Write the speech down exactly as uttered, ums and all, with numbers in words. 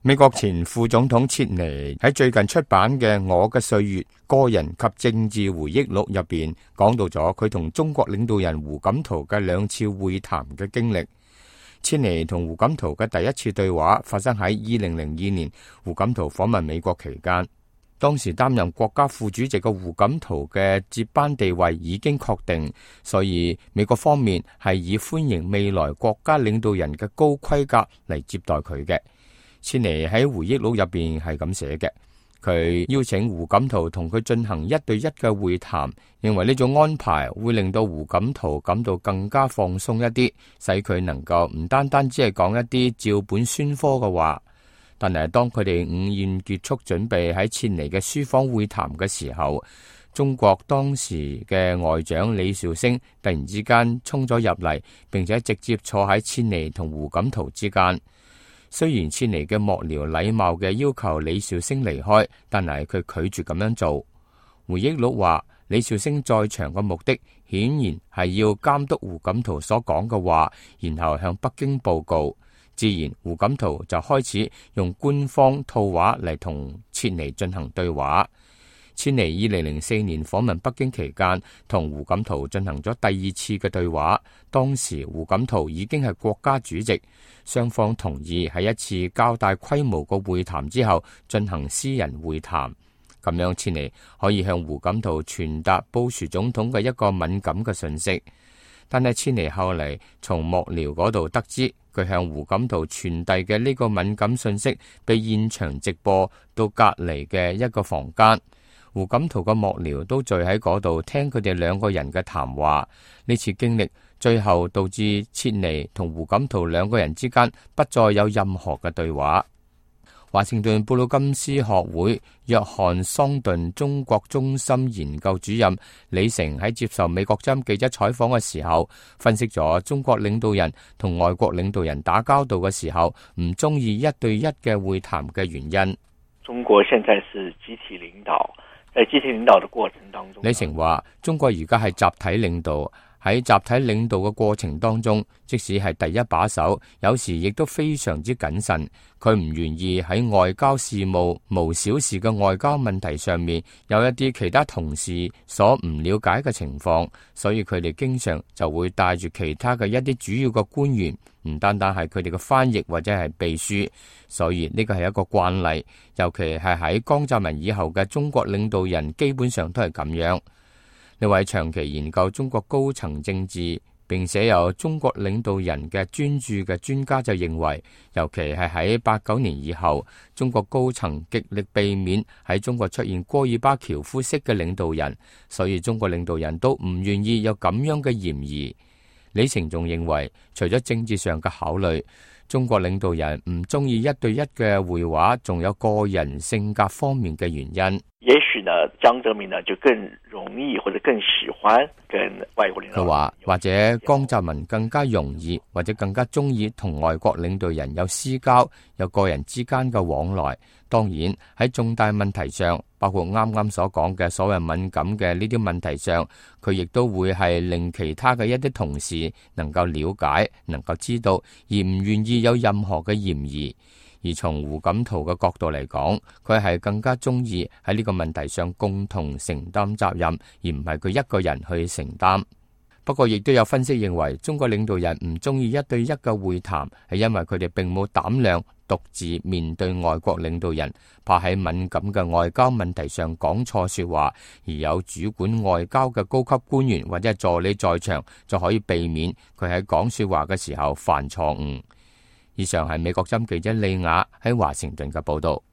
美國前副總統切尼喺最近出版嘅《我嘅歲月：個人及政治回憶錄》入邊，講到咗佢同中國領導人胡錦濤嘅兩次會談嘅經歷。切尼同胡錦濤嘅第一次對話發生喺二零零二年，胡錦濤訪問美國期間。當時擔任國家副主席嘅胡錦濤嘅接班地位已經確定，所以美國方面係以歡迎未來國家領導人嘅高規格嚟接待佢嘅。切尼喺回憶錄入邊係咁寫嘅，佢邀請胡錦濤同佢進行一對一嘅會談，認為呢種安排會令到胡錦濤感到更加放鬆一啲，使佢能夠唔單單只係講一啲照本宣科嘅話。但係當佢哋午宴結束，準備喺切尼嘅書房會談嘅時候，中國當時嘅外長李兆星突然之間衝咗入嚟，並且直接坐喺切尼同胡錦濤之間。雖然切尼嘅幕僚禮貌嘅要求李兆星離開，但係佢拒絕咁樣做。回憶錄話，李兆星在場嘅目的顯然係要監督胡錦濤所講嘅話，然後向北京報告。自然，胡錦濤就開始用官方套話嚟同切尼進行對話。切尼二零零四年訪問北京期間，同胡錦濤進行咗第二次嘅對話。當時胡錦濤已經係國家主席，雙方同意喺一次較大規模嘅會談之後進行私人會談。咁樣切尼可以向胡錦濤傳達布殊總統嘅一個敏感嘅訊息。但係切尼後嚟從幕僚嗰度得知，佢向胡錦濤傳遞嘅呢個敏感訊息被現場直播到隔籬嘅一個房間。胡錦濤嘅幕僚都聚喺嗰度聽佢哋兩個人嘅談話。呢次經歷最後導致切尼同胡錦濤兩個人之間不再有任何嘅對話。華盛頓布魯金斯學會約翰桑頓中國中心研究主任李成喺接受美國之音記者採訪嘅時候，分析咗中國領導人同外國領導人打交道嘅時候唔中意一對一嘅會談嘅原因。中國現在是集體領導，在集體領導的過程當中，李成話中國而家係集體領導。喺集體領導嘅過程當中，即使係第一把手，有時亦都非常之謹慎。佢唔願意喺外交事務無小事嘅外交問題上面有一啲其他同事所唔了解嘅情況，所以佢哋經常就會帶住其他嘅一啲主要嘅官員，唔單單係佢哋嘅翻譯或者係秘書。所以呢個係一個慣例，尤其係喺江澤民以後嘅中國領導人，基本上都係咁樣。呢位長期研究中國高層政治並且有中國領導人嘅專注嘅專家就認為，尤其係喺八九年以後，中國高層極力避免喺中國出現戈爾巴喬夫式嘅領導人，所以中國領導人都唔願意有咁樣嘅嫌疑。李成仲認為，除咗政治上嘅考慮，中國領導人唔中意一對一嘅會話，仲有個人性格方面嘅原因。也許呢，江澤民呢就更容易或者更喜歡跟外國領導人。佢話或者江澤民更加容易或者更加中意同外國領導人有私交，有個人之間嘅往來。當然喺重大問題上，包括啱啱所講嘅所謂敏感嘅呢啲問題上，佢亦都會係令其他嘅一啲同事能夠了解、能夠知道，而唔願意有任何嘅嫌疑。而從胡錦濤嘅角度嚟講，佢係更加中意喺呢個問題上共同承擔責任，而唔係佢一個人去承擔。不過亦都有分析認為，中國領導人唔中意一對一嘅會談，係因為佢哋並冇膽量獨自面對外國領導人，怕喺敏感嘅外交問題上講錯說話，而有主管外交嘅高級官員或者助理在場，就可以避免佢喺講說話嘅時候犯錯誤。以上係美國之音記者利亞喺華盛頓嘅報道。